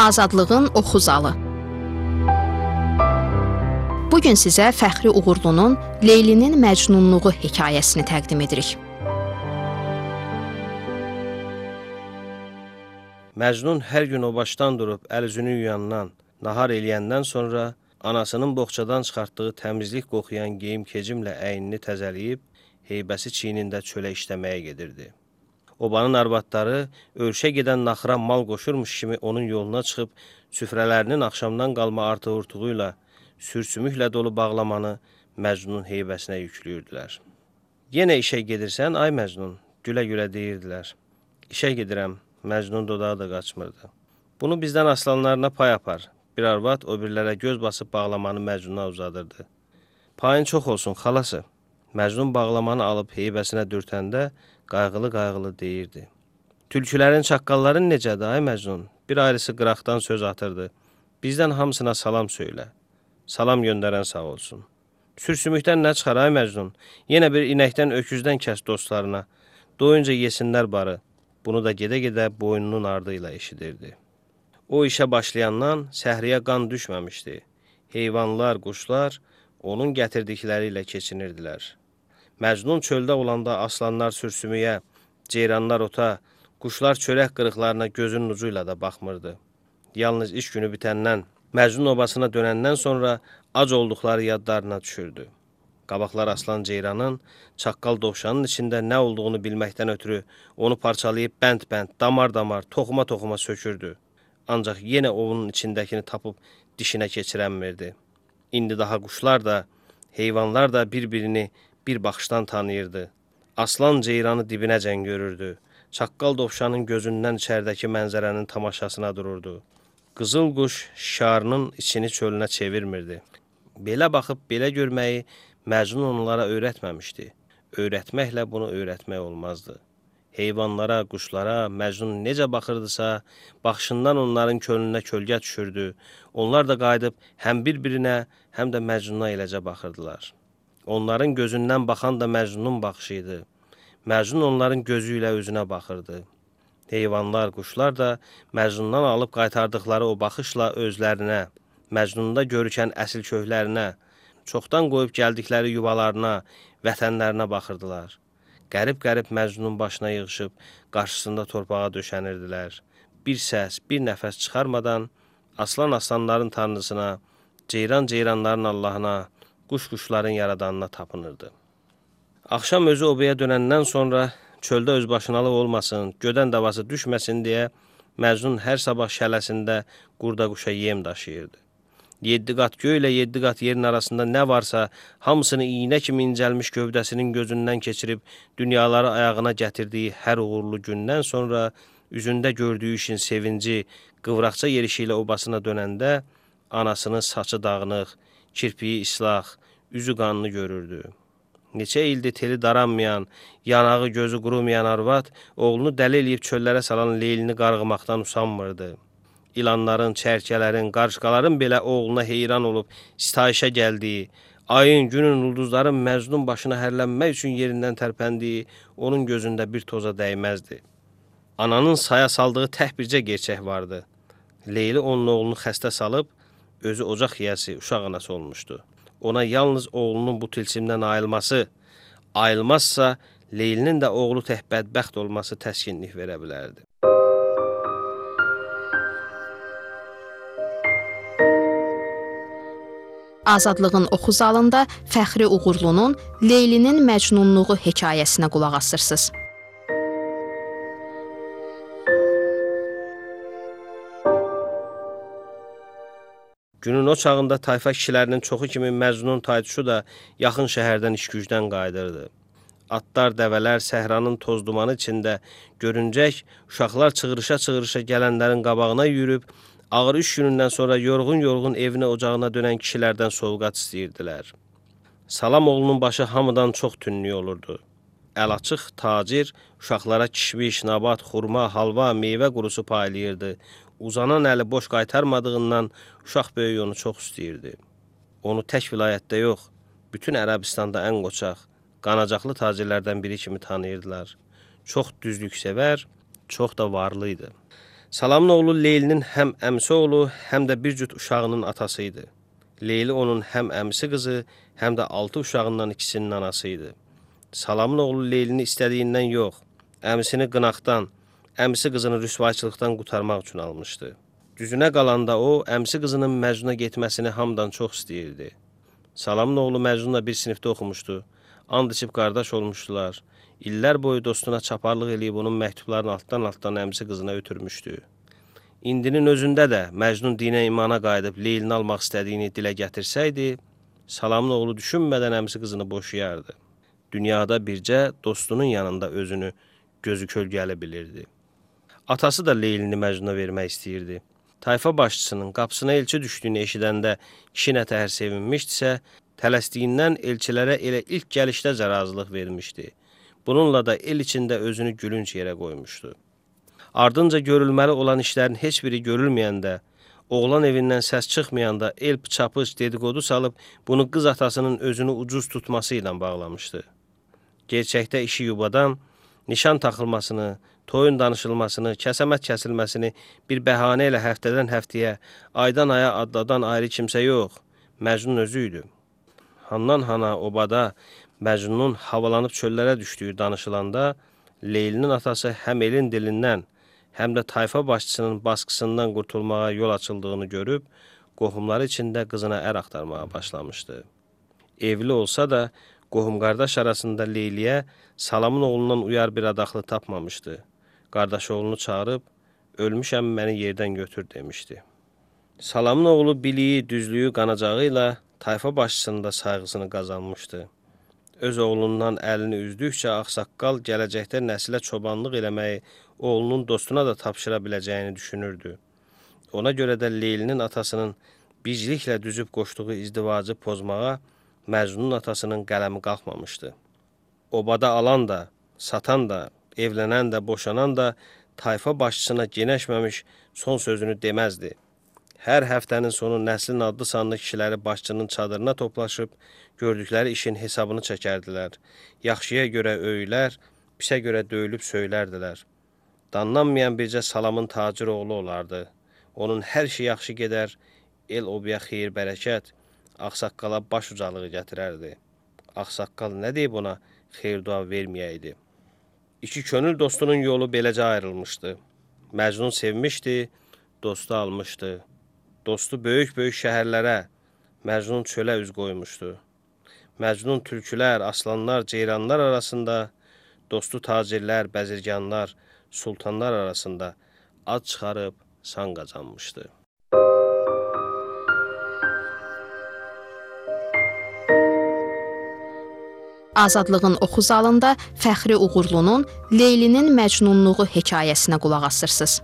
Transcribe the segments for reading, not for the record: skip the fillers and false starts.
Azadlığın Oxu Zalı. Bugün sizə Fəxri Uğurlunun Leylinin Məcnunluğu hekayəsini təqdim edirik. Məcnun hər gün o başdan durub əl-üzünü yuyandan, nahar eləyəndən sonra anasının boğçadan çıxartdığı təmizlik qoxuyan geyim-kecimlə əynini təzələyib, heybəsi çiynində çölə işləməyə gedirdi. Obanın arvadları örüşə gedən naxıra mal qoşurmuş kimi onun yoluna çıxıb, süfrələrinin axşamdan qalma artıq-urtuğuyla, sürsümüklə dolu bağlamanı Məcnunun heybəsinə yüklüyürdülər. Yenə işə gedirsən, ay Məcnun, gülə-gülə deyirdilər. İşə gedirəm, Məcnun dodağı da qaçmırdı. Bunu bizdən aslanlarına pay apar. Bir arvad o birlərə göz basıb bağlamanı Məcnuna uzadırdı. Payın çox olsun, xalası. Məcnun bağlamanı alıb heybəsinə dürtəndə qayğılı-qayğılı deyirdi. Tülkülərin, çaqqalların necədir, ay Məcnun? Bir ayrısı qıraqdan söz atırdı. Bizdən hamısına salam söylə. Salam göndərən sağ olsun. Sürsümükdən nə çıxar, ay Məcnun? Yenə bir inəkdən, öküzdən kəs dostlarına. Doyunca yesinlər barı. Bunu da gedə-gedə boynunun ardı ilə eşidirdi. O işə başlayandan səhriyə qan düşməmişdi. Heyvanlar, quşlar onun gətirdikləri ilə keçinirdilər. Məcnun çöldə olanda aslanlar sürsümüyə, ceyranlar ota, quşlar çörək qırıqlarına gözünün ucu ilə də baxmırdı. Yalnız iş günü bitəndən, Məcnun obasına dönəndən sonra ac olduqları yadlarına düşürdü. Qabaqlar aslan ceyranın, çaqqal dovşanın içində nə olduğunu bilməkdən ötürü onu parçalayıb bənd-bənd, damar-damar, toxuma-toxuma sökürdü. Ancaq yenə onun içindəkini tapıb dişinə keçirənmirdi. İndi daha quşlar da, heyvanlar da bir-birini bir baxışdan tanıyırdı. Aslan ceyranı dibinəcən görürdü. Çaqqal dovşanın gözündən içərdəki mənzərənin tamaşasına dururdu. Qızıl quş şarının içini çölünə çevirmirdi. Belə baxıb, belə görməyi Məcnun onlara öyrətməmişdi. Öyrətməklə bunu öyrətmək olmazdı. Heyvanlara, quşlara Məcnun necə baxırdısa, baxışından onların könlünə kölgə düşürdü. Onlar da qayıdıb həm bir-birinə, həm də Məcnuna eləcə baxırdılar. Onların gözündən baxan da Məcnunun baxışı idi. Məcnun onların gözü ilə özünə baxırdı. Heyvanlar, quşlar da Məcnundan alıb qaytardıqları o baxışla özlərinə, Məcnunda görükən əsil köklərinə, çoxdan qoyub gəldikləri yuvalarına, vətənlərinə baxırdılar. Qərib-qərib Məcnunun başına yığışıb, qarşısında torpağa döşənirdilər. Bir səs, bir nəfəs çıxarmadan aslan-aslanların tanrısına, ceyran-ceyranların Allahına, quş-quşların yaradanına tapınırdı. Axşam özü obaya dönəndən sonra çöldə özbaşınalıq olmasın, gödən davası düşməsin deyə Məcnun hər sabah şələsində qurda-quşa yem daşıyırdı. 7 qat göy ilə 7 qat yerin arasında nə varsa, hamısını iynə kimi incəlmiş gövdəsinin gözündən keçirib dünyaları ayağına gətirdiyi hər uğurlu gündən sonra üzündə gördüyü işin sevinci, qıvraqca yerişi ilə obasına dönəndə anasının saçı dağınıq, kirpiyi islah, üzü qanlı görürdü. Neçə ildir teli daranmayan, yanağı gözü qurumayan arvad, oğlunu dəli eləyib çöllərə salan Leylini qarğımaqdan usanmırdı. İlanların, çərkələrin, qarışqaların belə oğluna heyran olub sitayişə gəldiyi, ayın, günün, ulduzların Məcnun başına hərlənmək üçün yerindən tərpəndiyi onun gözündə bir toza dəyməzdi. Ananın saya saldığı tək bircə gerçək vardı. Leyli onun oğlunu xəstə salıb, özü ocaq yiyəsi, uşaq anası olmuşdu. Ona yalnız oğlunun bu tilsimdən ayılmazsa, Leylinin də oğlu tək bədbəxt olması təskinlik verə bilərdi. Azadlığın Oxu Zalında Fəxri Uğurlunun Leylinin Məcnunluğu hekayəsinə qulaq asırsınız. Günün o çağında tayfa kişilərinin çoxu kimi Məcnun taytuşu da yaxın şəhərdən iş-gücdən qayıdırdı. Atlar, dəvələr səhranın toz dumanı içində görüncək, uşaqlar çığırışa-çığırışa gələnlərin qabağına yürüb, ağır iş günündən sonra yorğun-yorğun evinə, ocağına dönən kişilərdən sovqat istəyirdilər. Salam oğlunun başı hamıdan çox tünlük olurdu. Əl açıq tacir uşaqlara kişmiş, nabat, xurma, halva, meyvə qurusu paylayırdı. Uzanan əli boş qaytarmadığından uşaq böyük onu çox istəyirdi. Onu tək vilayətdə yox, bütün Ərəbistanda ən qoçaq, qanacaqlı tacirlərdən biri kimi tanıyırdılar. Çox düzlük sevər, çox da varlı idi. Salamın oğlu Leylinin həm əmsi oğlu, həm də bir cüt uşağının atası idi. Leyli onun həm əmsi qızı, həm də 6 uşağından ikisinin anası idi. Salamın oğlu Leylini istədiyindən yox, əmsini qınaqdan, əmsi qızını rüsvayçılıqdan qurtarmaq üçün almışdı. Düzünə qalanda o, əmsi qızının Məcnuna getməsini hamıdan çox istəyirdi. Salamın oğlu Məcnunla bir sinifdə oxumuşdu, and içib qardaş olmuşdular. İllər boyu dostuna çaparlıq eləyib onun məktublarını altdan əmsi qızına ötürmüşdü. İndinin özündə də Məcnun dinə imana qayıdıb Leylini almaq istədiyini dilə gətirsəydi, Salamın oğlu düşünmədən əmsi qızını boşayardı. Dünyada bircə dostunun yanında özünü gözü kölgəli bilirdi. Atası da Leylini Məcnuna vermək istəyirdi. Tayfa başçısının qapısına elçi düşdüyünü eşidəndə kişi nətəhər sevinmişdisə, tələsdiyindən elçilərə elə ilk gəlişdə razılıq vermişdi. Bununla da el içində özünü gülünc yerə qoymuşdu. Ardınca görülməli olan işlərin heç biri görülməyəndə, oğlan evindən səs çıxmayanda el pıçapıç dedikodu salıb bunu qız atasının özünü ucuz tutması ilə bağlamışdı. Gerçəkdə işi yubadan, nişan taxılmasını, toyun danışılmasını, kəsəmət kəsilməsini bir bəhanə ilə həftədən həftəyə, aydan aya adladan ayrı kimsə yox, Məcnun özü idi. Handan hana, obada, Məcnunun havalanıb çöllərə düşdüyü danışılanda, Leylinin atası həm elin dilindən, həm də tayfa başçısının baskısından qurtulmağa yol açıldığını görüb, qohumları içində qızına ər axtarmağa başlamışdı. Evli olsa da, qohum-qardaş arasında Leyliyə Salamın oğlundan uyar bir adaqlı tapmamışdı. Qardaş oğlunu çağırıb, ölmüşəm məni yerdən götür demişdi. Salamın oğlu biliyi, düzlüyü, qanacağı ilə tayfa başçısının da sayğısını qazanmışdı. Öz oğlundan əlini üzdükcə ağsaqqal gələcəkdə nəsilə çobanlıq eləməyi oğlunun dostuna da tapşıra biləcəyini düşünürdü. Ona görə də Leylinin atasının bicliklə düzüb qoşduğu izdivacı pozmağa Məcnunun atasının qələmi qalxmamışdı. Obada alan da, satan da, evlənən də, boşanan da tayfa başçısına genəşməmiş son sözünü deməzdi. Hər həftənin sonu nəslin adlı sanlı kişiləri başçının çadırına toplaşıb, gördükləri işin hesabını çəkərdilər. Yaxşıya görə öylər, pisə görə döyülüb söylərdilər. Danlanmayan bircə Salamın tacir oğlu olardı. Onun hər şey yaxşı gedər, el obaya xeyir bərəkət, ağsaqqala baş ucalığı gətirərdi. Ağsaqqal nə deyib ona xeyir dua verməyəydi. İki könül dostunun yolu beləcə ayrılmışdı. Məcnun sevmişdi, dostu almışdı. Dostu böyük-böyük şəhərlərə, Məcnun çölə üz qoymuşdu. Məcnun tülkülər, aslanlar, ceyranlar arasında, dostu tacirlər, bəzirganlar, sultanlar arasında ad çıxarıb san qazanmışdı. Azadlığın oxu zalında Fəxri Uğurlunun Leylinin Məcnunluğu hekayəsinə qulaq asırsınız.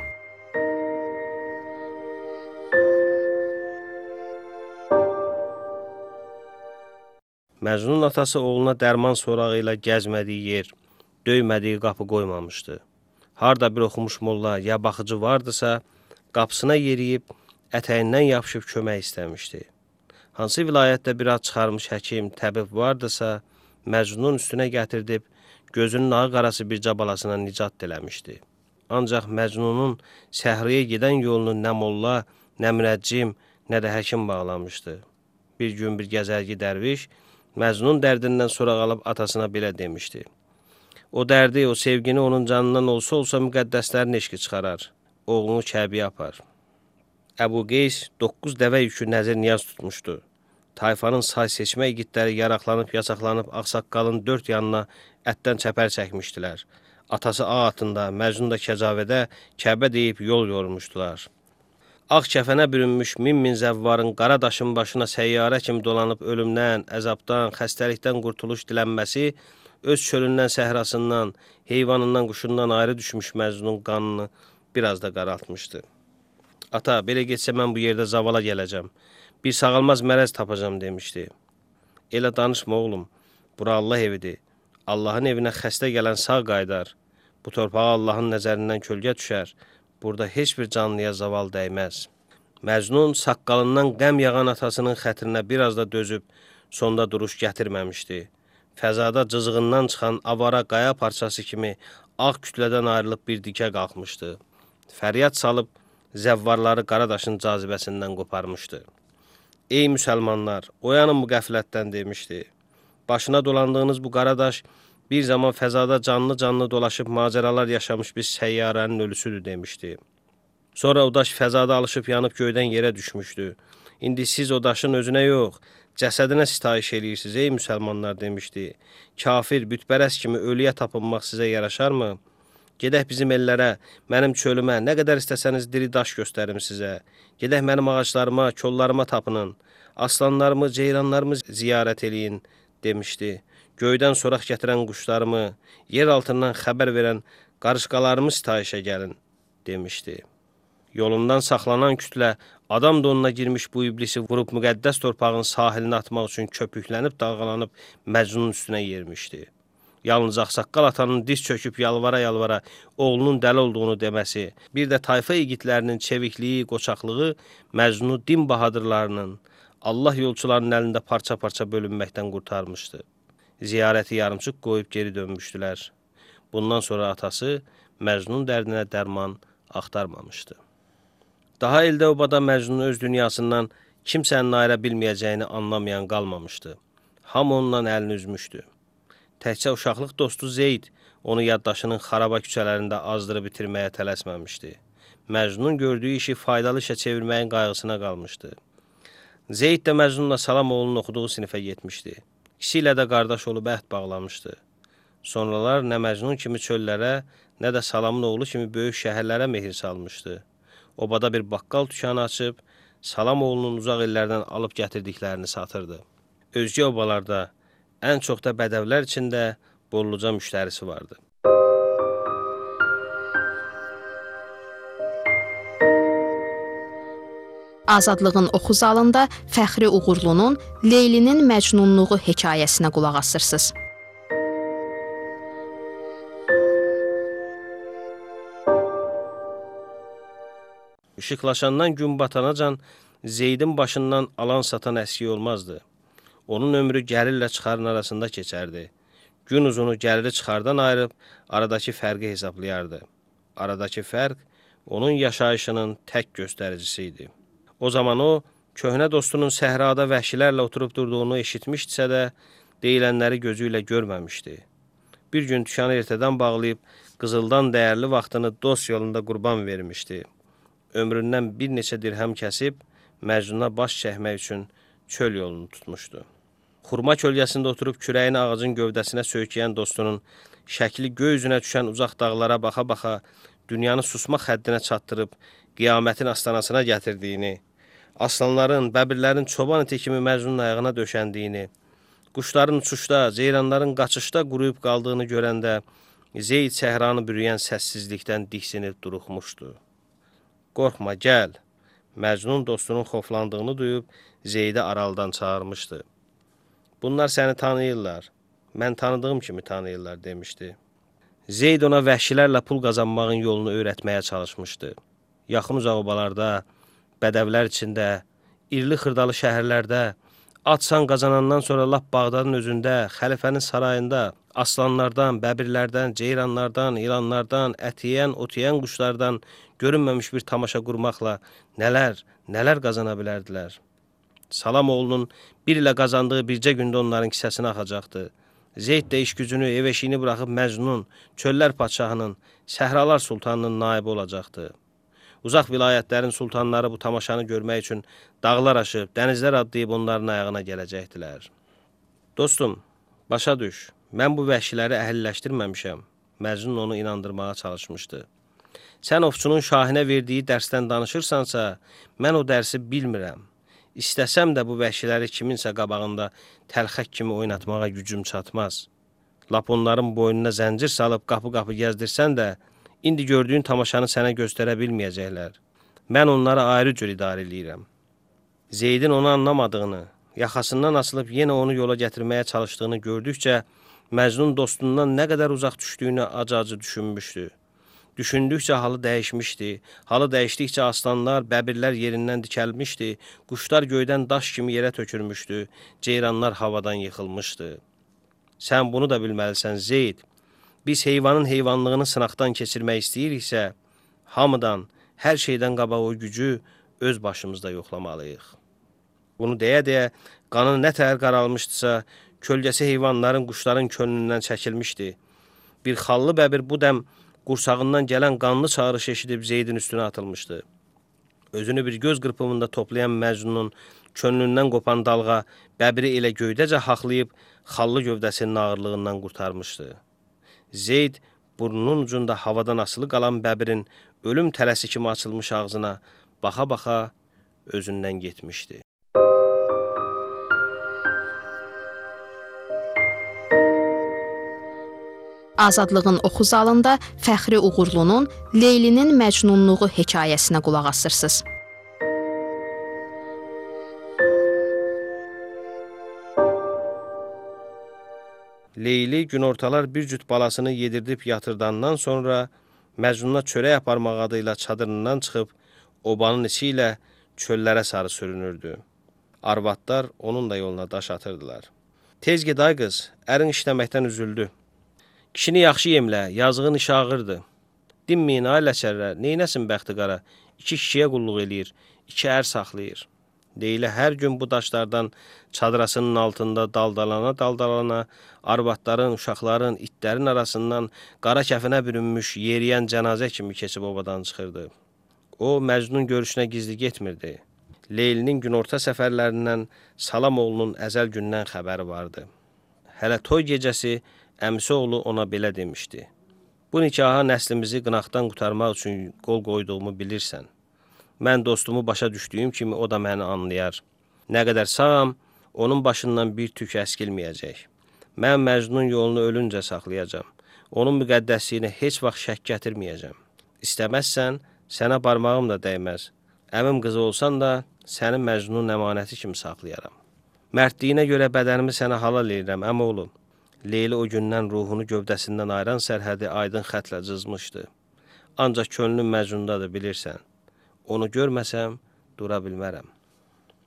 Məcnunun atası oğluna dərman sorağı ilə gəzmədiyi yer, döymədiyi qapı qoymamışdı. Harda bir oxumuş molla ya baxıcı vardısa, qapısına yeriyib, ətəyindən yapışıb kömək istəmişdi. Hansı vilayətdə bir ad çıxarmış həkim, təbib vardısa, Məcnunun üstünə gətirdib, gözünün ağı qarası bir cabalasına nicat diləmişdi. Ancaq Məcnunun səhriyə gedən yolunu nə molla, nə münəccim, nə də həkim bağlamışdı. Bir gün bir gəzərgi dərviş, Məcnun dərdindən soraq alıb atasına belə demişdi. O dərdi, o sevgini onun canından olsa müqəddəslərin eşqi çıxarar. Oğlunu Kəbiyə apar. Əbu Qeys 9 dəvə yükü nəzir niyaz tutmuşdu. Tayfanın say seçmə igidləri yaraqlanıb, yasaqlanıb ağsaqqalın 4 yanına ətdən çəpər çəkmişdilər. Atası ağ atında, Məcnun da kəcavədə Kəbə deyib yol yormuşdular. Ağ kəfənə bürünmüş min zəvvarın qara daşın başına səyyarə kimi dolanıb ölümdən, əzabdan, xəstəlikdən qurtuluş dilənməsi, öz çölündən, səhrasından, heyvanından, quşundan ayrı düşmüş Məcnunun qanını biraz da qaraltmışdı. Ata, belə getsə mən bu yerdə zavala gələcəm, bir sağalmaz mərəz tapacam demişdi. Elə danışma oğlum, bura Allah evidir. Allahın evinə xəstə gələn sağ qaydar. Bu torpağa Allahın nəzərindən kölgə düşər. Burada heç bir canlıya zaval dəyməz. Məcnun saqqalından qəm yağan atasının xətrinə biraz da dözüb, sonda duruş gətirməmişdi. Fəzada cızığından çıxan avara qaya parçası kimi ağ kütlədən ayrılıb bir dikə qalxmışdı. Fəryad salıb zəvvarları Qaradaşın cazibəsindən qoparmışdı. Ey müsəlmanlar, oyanın bu qəflətdən demişdi. Başına dolandığınız bu Qaradaş bir zaman fəzada canlı dolaşıb macəralar yaşamış bir səyyarənin ölüsüdür demişdi. Sonra o daş fəzada alışıb yanıb göydən yerə düşmüşdü. İndi siz o daşın özünə yox, cəsədinə sitayiş eləyirsiniz ey müsəlmanlar demişdi. Kafir, bütpərəst kimi ölüyə tapınmaq sizə yaraşarmı? Gedək bizim ellərə, mənim çölümə, nə qədər istəsəniz diri daş göstərim sizə. Gedək mənim ağaclarıma, kollarıma tapının. Aslanlarımı, ceyranlarımı ziyarət eləyin demişdi. Göydən soraq gətirən quşlarımı, yer altından xəbər verən qarışqalarımı sitayişə gəlin demişdi. Yolundan saxlanan kütlə adam donuna girmiş bu iblisi vurub müqəddəs torpağın sahilinə atmaq üçün köpüklənib, dalğalanıb Məcnunun üstünə yermişdi. Yalnız ağsaqqal atanın diz çöküb yalvara-yalvara oğlunun dəli olduğunu deməsi, bir də tayfa igidlərinin çevikliyi, qoçaqlığı Məcnunu din bahadırlarının, Allah yolçularının əlində parça-parça bölünməkdən qurtarmışdı. Ziyarəti yarımçıq qoyub geri dönmüşdülər. Bundan sonra atası Məcnun dərdinə dərman axtarmamışdı. Daha ildə obada Məcnunun öz dünyasından kimsənin ayıra bilməyəcəyini anlamayan qalmamışdı. Hamı ondan əlini üzmüşdü. Təkcə uşaqlıq dostu Zeyd onu yaddaşının xaraba küçələrində azdırıb bitirməyə tələsməmişdi. Məcnunun gördüyü işi faydalı işə çevirməyin qayğısına qalmışdı. Zeyd də Məcnunla Salam oğlunun oxuduğu sinifə getmişdi. İkisi ilə də qardaş olub əhd bağlamışdı. Sonralar nə Məcnun kimi çöllərə, nə də Salamın oğlu kimi böyük şəhərlərə mehir salmışdı. Obada bir baqqal dükanı açıb, Salam oğlunun uzaq illərdən alıb gətirdiklərini satırdı. Özgə obalarda, ən çox da bədəvlər içində bolluca müştərisi vardı. Azadlığın oxu zalında Fəxri Uğurlunun Leylinin Məcnunluğu hekayəsinə qulaq asırsınız. İşıqlaşandan gün batanacan Zeydin başından alan satan əski olmazdı. Onun ömrü gəlirlə çıxarın arasında keçərdi. Gün uzunu gəliri çıxardan ayırıb aradakı fərqi hesablayardı. Aradakı fərq onun yaşayışının tək göstəricisi idi. O zaman o, köhnə dostunun səhrada vəhşilərlə oturub durduğunu eşitmişdisə də, deyilənləri gözü ilə görməmişdi. Bir gün dükanı ertədən bağlayıb, qızıldan dəyərli vaxtını dost yolunda qurban vermişdi. Ömründən bir neçə dirhəm kəsib, Məcnuna baş çəkmək üçün çöl yolunu tutmuşdu. Xurma kölgəsində oturub kürəyini ağacın gövdəsinə söykəyən dostunun şəkli göy üzünə düşən uzaq dağlara baxa-baxa dünyanı susmaq həddinə çatdırıb qiyamətin astanasına gətirdiyini, aslanların, bəbirlərin çoban iti kimi Məcnunun ayağına döşəndiyini, quşların uçuşda, ceyranların qaçışda quruyub qaldığını görəndə Zeyd səhranı bürüyən səssizlikdən diksinib duruxmuşdu. Qorxma, gəl. Məcnun dostunun xoflandığını duyub Zeydi aralıdan çağırmışdı. Bunlar səni tanıyırlar, mən tanıdığım kimi tanıyırlar demişdi. Zeyd ona vəhşilərlə pul qazanmağın yolunu öyrətməyə çalışmışdı. Yaxın uzaq obalarda, bədəvlər içində, irli xırdalı şəhərlərdə, atsan qazanandan sonra lap Bağdadın özündə, xəlifənin sarayında, aslanlardan, bəbirlərdən, ceyranlardan, ilanlardan, ət yeyən, ot yeyən quşlardan görünməmiş bir tamaşa qurmaqla nələr qazana bilərdilər. Salam oğlunun bir ilə qazandığı bircə gündə onların kisəsinə axacaqdı. Zeyd də iş gücünü, ev eşiyini buraxıb Məcnun, çöllər padşahının, səhralar sultanının naibi olacaqdı. Uzaq vilayətlərin sultanları bu tamaşanı görmək üçün dağlar aşıb, dənizlər adlayıb onların ayağına gələcəkdilər. Dostum, başa düş, mən bu vəhşiləri əhilləşdirməmişəm. Məcnun onu inandırmağa çalışmışdı. Sən ovçunun şahinə verdiyi dərsdən danışırsansa, mən o dərsi bilmirəm. İstəsəm də bu vəhşiləri kiminsə qabağında təlxək kimi oynatmağa gücüm çatmaz. Lap onların boynuna zəncir salıb qapı-qapı gəzdirsən də, indi gördüyün tamaşanı sənə göstərə bilməyəcəklər. Mən onları ayrı cür idarə edirəm. Zeydin onu anlamadığını, yaxasından asılıb yenə onu yola gətirməyə çalışdığını gördükcə, Məcnun dostundan nə qədər uzaq düşdüyünü acı-acı düşünmüşdü. Düşündükcə halı dəyişmişdi. Halı dəyişdikcə aslanlar, bəbirlər yerindən dikəlmişdi. Quşlar göydən daş kimi yerə tökülmüşdü. Ceyranlar havadan yıxılmışdı. Sən bunu da bilməlisən Zeyd. Biz heyvanın heyvanlığını sınaqdan keçirmək istəyiriksə, Hamıdan, hər şeydən qabaq o gücü öz başımızda yoxlamalıyıq. Bunu deyə-deyə qanı nə təhər qaralmışdısa, kölgəsi heyvanların, quşların könlündən çəkilmişdi. Bir xallı bəbir bu dəm qursağından gələn qanlı çağırış eşidib Zeydin üstünə atılmışdı. Özünü bir göz qırpımında toplayan Məcnunun könlündən qopan dalğa bəbiri elə göydəcə haqlayıb xallı gövdəsinin ağırlığından qurtarmışdı. Zeyd burnunun ucunda havadan asılı qalan bəbirin ölüm tələsi kimi açılmış ağzına baxa-baxa özündən getmişdi. Azadlığın oxu zalında Fəxri Uğurlunun Leylinin Məcnunluğu hekayəsinə qulaq asırsınız. Leyli günortalar bir cüt balasını yedirdib yatırdandan sonra Məcnuna çörək aparmaq adıyla çadırından çıxıb obanın içi ilə çöllərə sarı sürünürdü. Arvadlar onun da yoluna daş atırdılar. Tez ged ay qız, ərin işləməkdən üzüldü. Kişini yaxşı yemlə, yazığın işi ağırdı. Dinməyin ay ləçərlər, neynəsin bəxti qara, 2 kişiyə qulluq eləyir, 2 ər saxlayır. Leyli hər gün bu daşlardan çadırasının altında daldalana, arvadların, uşaqların, itlərin arasından qara kəfinə bürünmüş, yeriyən cənazə kimi keçib obadan çıxırdı. O, Məcnun görüşünə gizli getmirdi. Leylinin günorta səfərlərindən Salamoğlunun əzəl gündən xəbəri vardı. Hələ toy gecəsi əmisi oğlu ona belə demişdi. Bu nikaha nəslimizi qınaqdan qurtarmaq üçün qol qoyduğumu bilirsən. Mən dostumu başa düşdüyüm kimi o da məni anlayar. Nə qədər sağam, onun başından bir tük əskilməyəcək. Mən Məcnun yolunu ölüncə saxlayacam. Onun müqəddəsliyinə heç vaxt şək gətirməyəcəm. İstəməzsən, sənə barmağım da dəyməz. Əmim qızı olsan da, səni Məcnunun əmanəti kimi saxlayaram. Mərdliyinə görə bədənimi sənə halal edirəm, əmoğlu. Leyli o gündən ruhunu gövdəsindən ayıran sərhədi aydın xətlə cızmışdı. Ancaq könlüm Məcnundadır, bilirsən. Onu görməsəm, dura bilmərəm.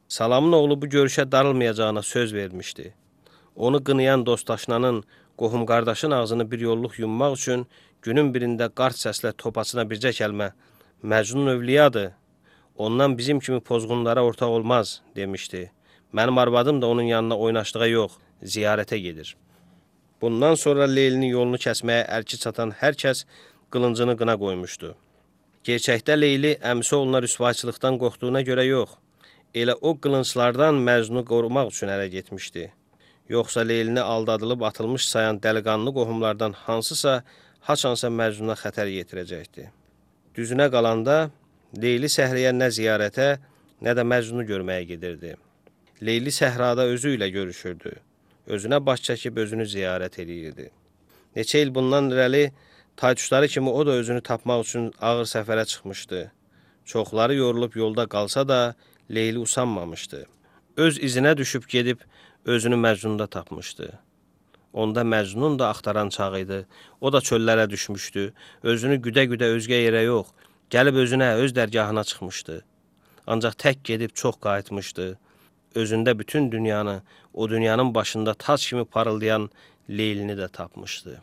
Salamın oğlu bu görüşə darılmayacağına söz vermişdi. Onu qınayan dostaşnanın, qohum qardaşın ağzını bir yolluq yummaq üçün günün birində qart səslə topasına bircə kəlmə Məcnun övliyadır, ondan bizim kimi pozğunlara ortaq olmaz, demişdi. Mənim arvadım da onun yanına oynaşlığa yox, ziyarətə gedir. Bundan sonra Leylinin yolunu kəsməyə əlki çatan hər kəs qılıncını qına qoymuşdu. Gerçəkdə Leyli əmisi oğluna rüsvayçılıqdan qorxduğuna görə yox, elə o qılınclardan Məcnunu qorumaq üçün ərə getmişdi. Yoxsa Leylini aldadılıb atılmış sayan dəliqanlı qohumlardan hansısa haçansa Məcnuna xətər yetirəcəkdi. Düzünə qalanda Leyli səhriyə nə ziyarətə, nə də Məcnunu görməyə gedirdi. Leyli səhrada özü ilə görüşürdü. Özünə baş çəkib özünü ziyarət edirdi. Neçə il bundan irəli taytuşları kimi o da özünü tapmaq üçün ağır səfərə çıxmışdı. Çoxları yorulub yolda qalsa da Leyli usanmamışdı. Öz izinə düşüb gedib özünü Məcnunda tapmışdı. Onda Məcnun da axtaran çağ idi. O da çöllərə düşmüşdü. Özünü güdə-güdə özgə yerə yox, gəlib özünə, öz dərgahına çıxmışdı. Ancaq tək gedib çox qayıtmışdı. Özündə bütün dünyanı, o dünyanın başında tac kimi parıldayan Leylini də tapmışdı.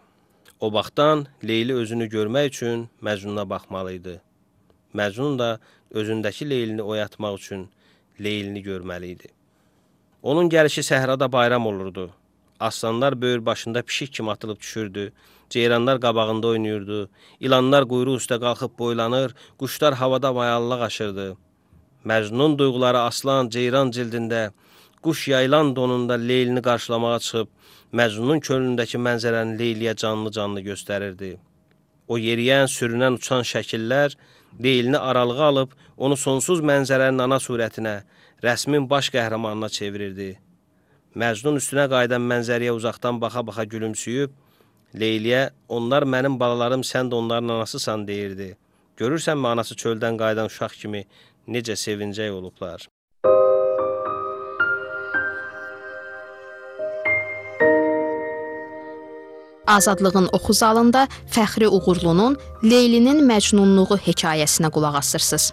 O vaxtdan Leyli özünü görmək üçün Məcnuna baxmalıydı. Məcnun da özündəki Leylini oyatmaq üçün Leylini görməli idi. Onun gəlişi səhrada bayram olurdu. Aslanlar böyür başında pişik kimi atılıb düşürdü. Ceyranlar qabağında oynayırdı. İlanlar quyruq üstə qalxıb boylanır. Quşlar havada mayallıq aşırdı. Məcnun duyğuları aslan, ceyran cildində, quş yaylan donunda Leylini qarşılamağa çıxıb, Məcnunun könlündəki mənzərəni Leyliyə canlı-canlı göstərirdi. O yeriyən, sürünən, uçan şəkillər Leylini aralığa alıb, onu sonsuz mənzərənin ana surətinə, rəsmin baş qəhrəmanına çevirirdi. Məcnun üstünə qayıdan mənzərəyə uzaqdan baxa-baxa gülümsüyüb, Leyliyə, onlar mənim balalarım, sən də onların anasısan, deyirdi. Görürsənmi anası çöldən qayıdan uşaq kimi necə sevincək olublar. Azadlığın oxu zalında Fəxri Uğurlunun Leylinin Məcnunluğu hekayəsinə qulaq asırsınız.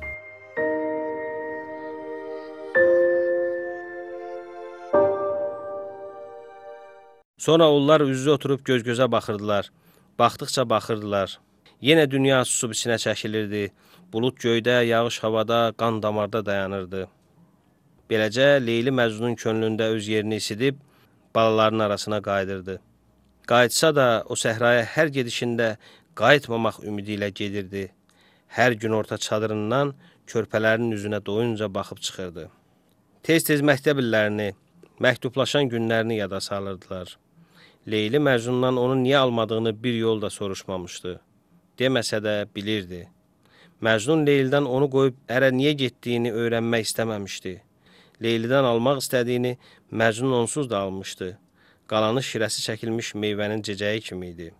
Sonra onlar üz-üzə oturub göz-gözə baxırdılar. Baxdıqca baxırdılar. Yenə dünya susub içinə çəkilirdi. Bulud göydə, yağış havada, qan damarda dayanırdı. Beləcə, Leyli Məcnunun könlündə öz yerini isidib, balaların arasına qayıdırdı. Qayıtsa da, o səhraya hər gedişində qayıtmamaq ümidi ilə gedirdi. Hər gün orta çadırından körpələrin üzünə doyunca baxıb çıxırdı. Tez-tez məktəb illərini, məktublaşan günlərini yada salırdılar. Leyli Məcnundan onu niyə almadığını bir yol da soruşmamışdı. Deməsə də bilirdi. Məcnun Leylidən onu qoyub ərə niyə getdiyini öyrənmək istəməmişdi. Leylidən almaq istədiyini Məcnun onsuz da almışdı. Qalanı şirəsi çəkilmiş meyvənin cecəyi kimi idi.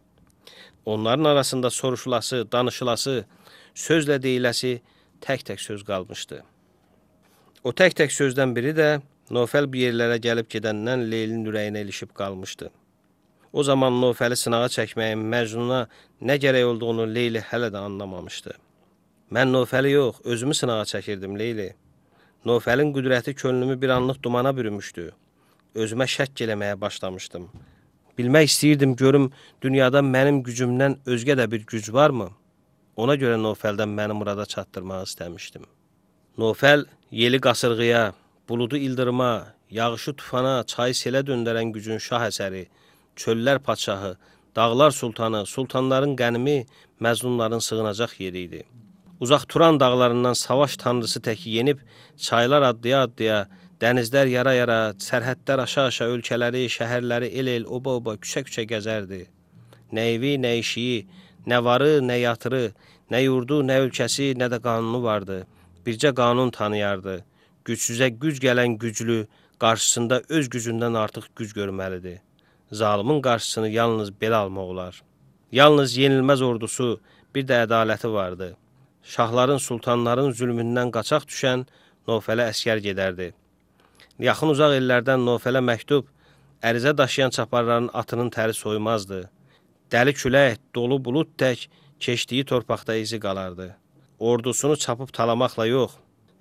Onların arasında soruşulası, danışılası, sözlə deyiləsi tək-tək söz qalmışdı. O tək-tək sözdən biri də Nofəl bir yerlərə gəlib gedəndən Leylinin ürəyinə ilişib qalmışdı. O zaman Nofəli sınağa çəkməyin Məcnuna nə gərək olduğunu Leyli hələ də anlamamışdı. Mən Nofəli yox, özümü sınağa çəkirdim Leyli. Nofəlin qüdrəti könlümü bir anlıq dumana bürümüşdü. Özümə şəkk eləməyə başlamışdım. Bilmək istəyirdim, görüm dünyada mənim gücümdən özgə də bir güc varmı? Ona görə Nofəldən məni murada çatdırmaq istəmişdim. Nofəl yeli qasırğıya, buludu ildırıma, yağışı tufana, çayı selə döndərən gücün şah əsəri, çöllər padşahı, dağlar sultanı, sultanların qənimi, məzlumların sığınacaq yeri idi. Uzaq Turan dağlarından savaş tanrısı təki yenib, çaylar addıya-addıya, dənizlər yara-yara, sərhədlər aşa-aşa ölkələri, şəhərləri el-el, oba-oba, küçə-küçə gəzərdi. Nə evi, nə işiyi, nə varı, nə yatırı, nə yurdu, nə ölkəsi, nə də qanunu vardı. Bircə qanun tanıyardı. Gücsüzə güc gələn güclü, qarşısında öz gücündən artıq güc görməlidir. Zalimin qarşısını yalnız belə almaq olar. Yalnız yenilməz ordusu, bir də ədaləti vardı. Şahların, sultanların zülmündən qaçaq düşən Nofələ əskər gedərdi. Yaxın uzaq ellərdən Nofələ məktub, ərizə daşıyan çaparların atının təri soymazdı. Dəli külək, dolu bulud tək keçdiyi torpaqda izi qalardı. Ordusunu çapıb talamaqla yox,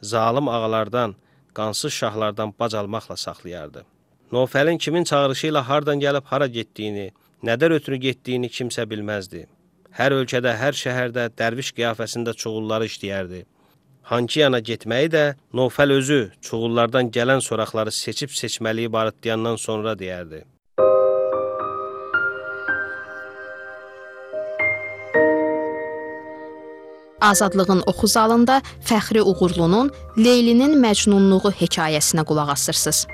zalim ağalardan, qansız şahlardan bac almaqla saxlayardı. Nofəlin kimin çağırışı ilə hardan gəlib hara getdiyini, nədən ötürü getdiyini kimsə bilməzdi. Hər ölkədə, hər şəhərdə dərviş qiyafəsində çuğulları işləyərdi. Hanki yana getməyi də Nofəl özü çuğullardan gələn soraqları seçib seçməliyi barıtlayandan sonra deyərdi. Azadlığın oxu zalında Fəxri Uğurlunun Leylinin Məcnunluğu hekayəsinə qulaq asırsınız.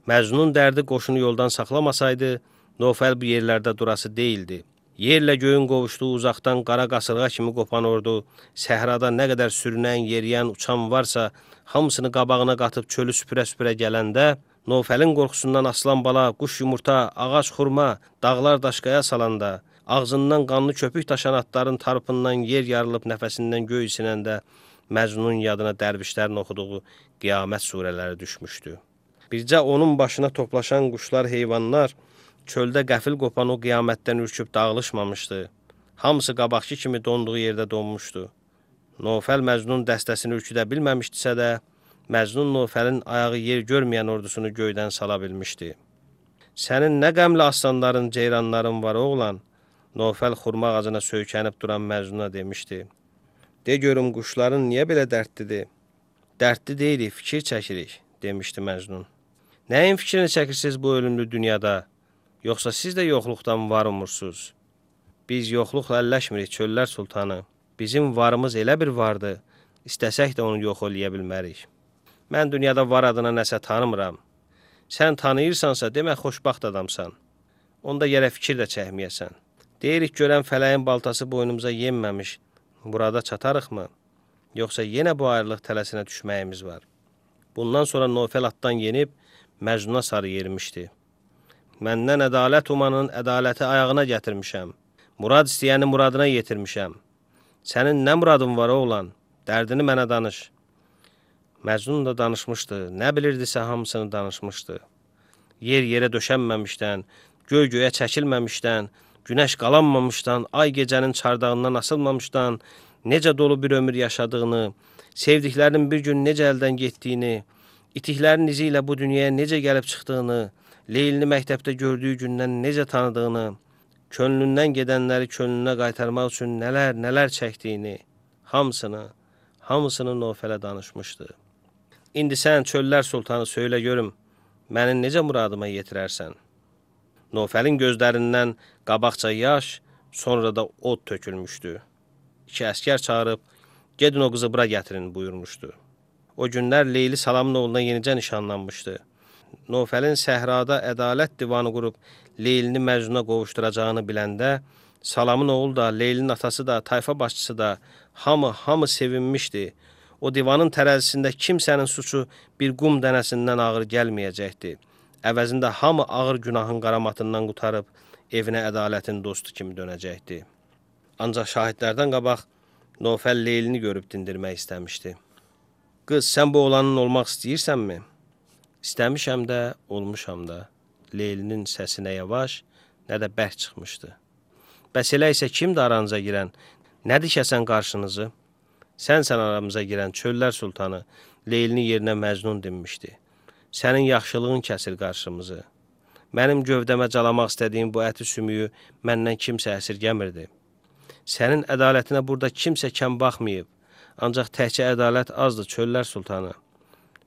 Məcnun dərdi qoşunu yoldan saxlamasaydı, Nofəl bu yerlərdə durası deyildi. Yerlə göyün qovuşduğu uzaqdan qara qasırğa kimi qopan ordu, səhrada nə qədər sürünən, yeriyən, uçan varsa, hamısını qabağına qatıb çölü süpürə-süpürə gələndə, Nofəlin qorxusundan aslan bala, quş yumurta, ağac xurma, dağlar daşqaya salanda, ağzından qanlı köpük daşan atların tarpından yer yarılıb nəfəsindən göy isinəndə, Məcnunun yadına dərvişlərin oxuduğu qiyamət surələri düşmüşdü. Bircə onun başına toplaşan quşlar, heyvanlar, çöldə qəfil qopan o qiyamətdən ürküb dağılışmamışdı. Hamısı qabaqki kimi donduğu yerdə donmuşdu. Nofəl Məcnun dəstəsini ürküdə bilməmişdisə də, Məcnun Nofəlin ayağı yer görməyən ordusunu göydən sala bilmişdi. Sənin nə qəmli aslanların, ceyranların var oğlan, Nofəl xurma ağacına söykənib duran Məcnuna demişdi. De görüm quşların niyə belə dərdlidir? Dərdli deyilik, fikir çəkirik, demişdi Məcnun. Nəyin fikrini çəkirsiniz bu ölümlü dünyada? Yoxsa siz də yoxluqdan var umursuz? Biz yoxluqla əlləşmirik, çöllər sultanı. Bizim varımız elə bir vardı, istəsək də onu yox eləyə bilmərik. Mən dünyada var adına nəsə tanımıram. Sən tanıyırsansa, demək xoşbaxt adamsan. Onda yerə fikir də çəkməyəsən. Deyirik görən fələyin baltası boynumuza yenməmiş, burada çatarıqmı? Yoxsa yenə bu ayrılıq tələsinə düşməyimiz var. Bundan sonra Nofəl atdan yenib, Məcnuna sarı yermişdi. Məndən ədalət umanın ədaləti ayağına gətirmişəm. Murad istəyəni muradına yetirmişəm. Sənin nə muradın var oğlan? Dərdini mənə danış. Məcnun da danışmışdı. Nə bilirdisə hamısını danışmışdı. Yer yerə döşənməmişdən, göy göyə çəkilməmişdən, günəş qalanmamışdan, ay gecənin çardağından asılmamışdan, necə dolu bir ömür yaşadığını, sevdiklərinin bir gün necə əldən getdiyini, İtiklərin izi ilə bu dünyaya necə gəlib çıxdığını, Leylini məktəbdə gördüyü gündən necə tanıdığını, könlündən gedənləri könlünə qaytarmaq üçün nələr çəkdiyini, hamısını Nofələ danışmışdı. İndi sən çöllər sultanı söylə görüm, məni necə muradıma yetirərsən? Nofəlin gözlərindən qabaqca yaş, sonra da od tökülmüşdü. 2 əskər çağırıb, gedin o qızı bura gətirin buyurmuşdu. O günlər Leyli Salamın oğluna yenicə nişanlanmışdı. Nofəlin səhrada ədalət divanı qurub Leylini Məcnuna qovuşturacağını biləndə, Salamın oğlu da, Leylinin atası da, tayfa başçısı da hamı sevinmişdi. O divanın tərəzisində kimsənin suçu bir qum dənəsindən ağır gəlməyəcəkdi. Əvəzində hamı ağır günahın qaramatından qutarıb evinə ədalətin dostu kimi dönəcəkdi. Ancaq şahidlərdən qabaq Nofəl Leylini görüb dindirmək istəmişdi. Qız, sən bu oğlanın olmaq istəyirsənmi? İstəmişəm də, olmuşam da. Leylinin səsi nə yavaş, nə də bərk çıxmışdı. Bəs elə isə kimdir aranıza girən? Nə dikəsən qarşınızı? Sənsən aramıza girən çöllər sultanı, Leylini yerinə Məcnun dinmişdi. Sənin yaxşılığın kəsir qarşımızı. Mənim gövdəmə calamaq istədiyim bu əti sümüyü məndən kimsə əsirgəmirdi. Sənin ədalətinə burada kimsə kəm baxmayıb, ancaq təkcə ədalət azdır çöllər sultanı.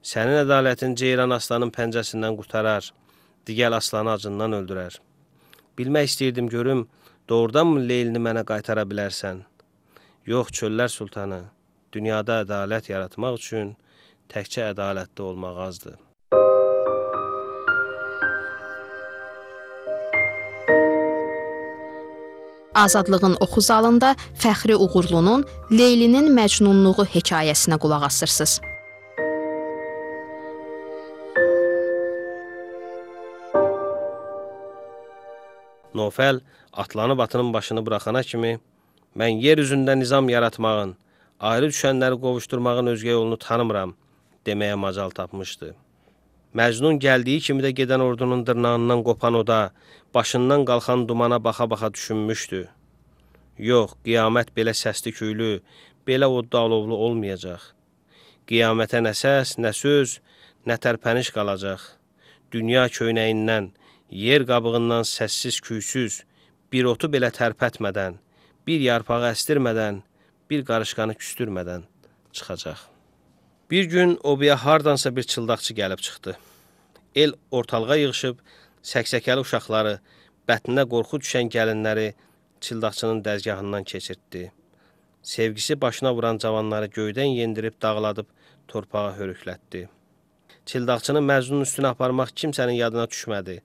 Sənin ədalətin Ceyran aslanın pəncəsindən qurtarar, digər aslanı acından öldürər. Bilmək istəyirdim görüm, doğrudanmı Leylini mənə qaytara bilərsən? Yox çöllər sultanı, dünyada ədalət yaratmaq üçün təkcə ədalətli olmaq azdır. Azadlığın oxu zalında Fəxri Uğurlunun Leylinin Məcnunluğu hekayəsinə qulaq asırsınız. Nofəl atlanıb atının başını buraxana kimi mən yer üzündə nizam yaratmağın, ayrı düşənləri qovuşturmağın özgə yolunu tanımıram deməyə macal tapmışdı. Məcnun gəldiyi kimi də gedən ordunun dırnağından qopan oda, başından qalxan dumana baxa-baxa düşünmüşdü. Yox, qiyamət belə səsli küylü, belə odda alovlu olmayacaq. Qiyamətə nə səs, nə söz, nə tərpəniş qalacaq. Dünya köynəyindən, yer qabığından səssiz küysüz, bir otu belə tərpətmədən, bir yarpağı əstirmədən, bir qarışqanı küstürmədən çıxacaq. Bir gün obaya hardansa bir çıldaqçı gəlib çıxdı. El ortalığa yığışıb, səksəkəli uşaqları, bətninə qorxu düşən gəlinləri çıldaqçının dəzgahından keçirtdi. Sevgisi başına vuran cavanları göydən yendirib, dağladıb, torpağa hörüklətdi. Çıldaqçını Məcnunun üstünə aparmaq kimsənin yadına düşmədi.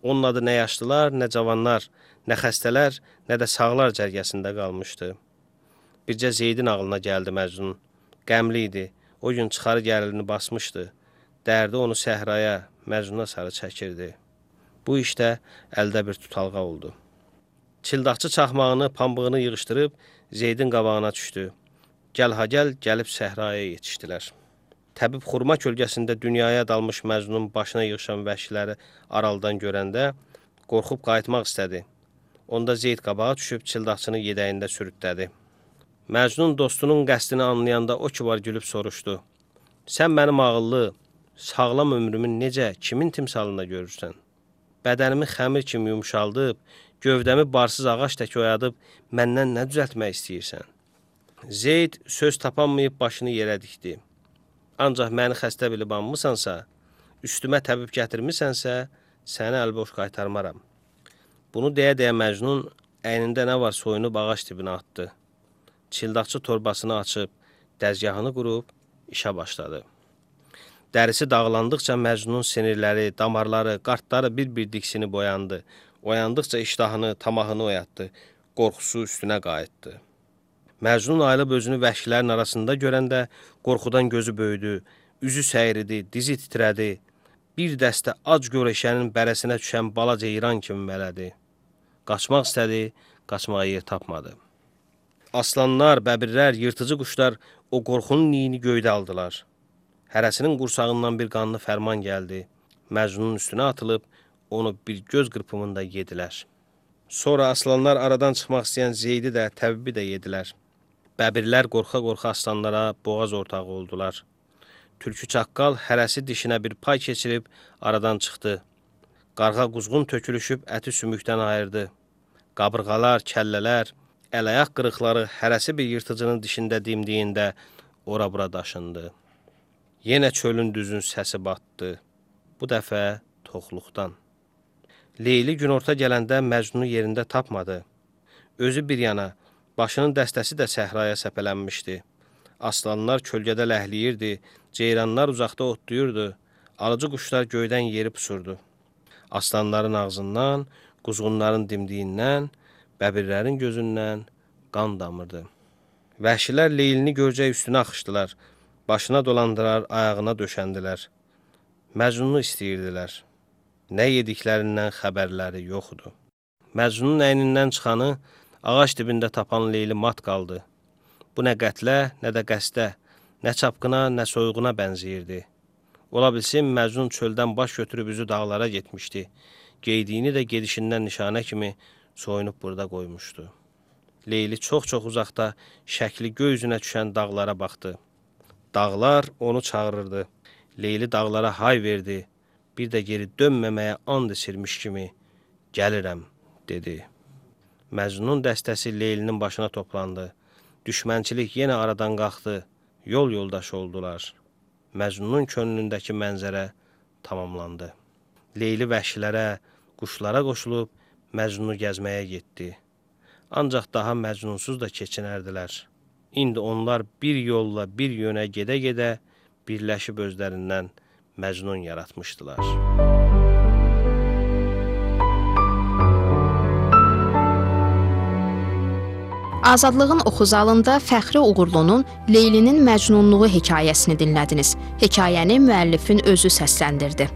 Onun adı nə yaşlılar, nə cavanlar, nə xəstələr, nə də sağlar cərgəsində qalmışdı. Bircə Zeydin ağlına gəldi Məcnun. Qəmli idi. O gün çıxarı gəlini basmışdı. Dərdi onu səhraya, Məcnuna sarı çəkirdi. Bu işdə əldə bir tutalğa oldu. Çıldaqçı çaxmağını, pambığını yığışdırıb Zeydin qabağına düşdü. Gəl ha gəl, gəlib səhraya yetişdilər. Təbib xurma kölgəsində dünyaya dalmış Məcnunun başına yığışan vəhşiləri aralıdan görəndə qorxub qayıtmaq istədi. Onda Zeyd qabağa düşüb çıldaqçını yedəyində sürütlədi. Məcnun dostunun qəsdini anlayanda o ki var gülüb soruşdu. Sən mənim ağıllı, sağlam ömrümün necə, kimin timsalında görürsən? Bədənimi xəmir kimi yumşaldıb, gövdəmi barsız ağac tək oyadıb, məndən nə düzəltmək istəyirsən? Zeyd söz tapanmayıb başını yerə dikdi. Ancaq məni xəstə bilib anmısansa, üstümə təbib gətirmisənsə, səni əlboş qaytarmaram. Bunu deyə-deyə Məcnun əynində nə var soyunub ağac dibinə atdı. Çıldaqçı torbasını açıb, dəzgahını qurub, işə başladı. Dərisi dağlandıqca Məcnunun sinirləri, damarları, qartları bir-bir diksini boyandı. Oyandıqca iştahını, tamahını oyatdı, qorxusu üstünə qayıtdı. Məcnun ayılıb özünü vəhşilərin arasında görəndə qorxudan gözü böyüdü, üzü səyridi, dizi titrədi. Bir dəstə ac görəşənin bərəsinə düşən bala ceyran kimi mələdi. Qaçmaq istədi, qaçmağa yer tapmadı. Aslanlar, bəbirlər, yırtıcı quşlar o qorxunun iyini göydə aldılar. Hərəsinin qursağından bir qanlı fərman gəldi. Məcnunun üstünə atılıb, onu bir göz qırpımında yedilər. Sonra aslanlar aradan çıxmaq istəyən Zeydi də, təbibi də yedilər. Bəbirlər qorxa-qorxa aslanlara boğaz ortağı oldular. Tülkü çaqqal hərəsi dişinə bir pay keçirib aradan çıxdı. Qarğa quzğun tökülüşüb əti sümükdən ayırdı. Qabırğalar, kəllələr, əl-ayaq qırıqları hərəsi bir yırtıcının dişində dimdiyində ora-bura daşındı. Yenə çölün düzün səsi batdı. Bu dəfə toxluqdan. Leyli günorta gələndə Məcnunu yerində tapmadı. Özü bir yana, başının dəstəsi də səhraya səpələnmişdi. Aslanlar kölgədə ləhliyirdi, ceyranlar uzaqda otlayırdı, alıcı quşlar göydən yeri pusurdu. Aslanların ağzından, quzğunların dimdiyindən, bəbirlərin gözündən qan damırdı. Vəhşilər Leylini görcək üstünə axışdılar, başına dolandırar, ayağına döşəndilər. Məcnunu istəyirdilər. Nə yediklərindən xəbərləri yoxdu. Məcnunun əynindən çıxanı ağac dibində tapan Leyli mat qaldı. Bu nə qətlə, nə də qəsdə, nə çapqına, nə soyğuna bənzəyirdi. Ola bilsin, Məcnun çöldən baş götürüb üzü dağlara getmişdi. Geydiyini də gedişindən nişanə kimi soyunub burada qoymuşdu. Leyli çox-çox uzaqda şəkli göy üzünə düşən dağlara baxdı. Dağlar onu çağırırdı. Leyli dağlara hay verdi. Bir də geri dönməməyə and içirmiş kimi gəlirəm, dedi. Məcnunun dəstəsi Leylinin başına toplandı. Düşmənçilik yenə aradan qalxdı. Yol yoldaşı oldular. Məcnunun könlündəki mənzərə tamamlandı. Leyli vəhşilərə, quşlara qoşulub Məcnunu gəzməyə getdi. Ancaq daha Məcnunsuz da keçinərdilər. İndi onlar bir yolla bir yönə gedə-gedə birləşib özlərindən Məcnun yaratmışdılar. Azadlığın oxu zalında Fəxri Uğurlunun Leylinin Məcnunluğu hekayəsini dinlədiniz. Hekayəni müəllifin özü səsləndirdi.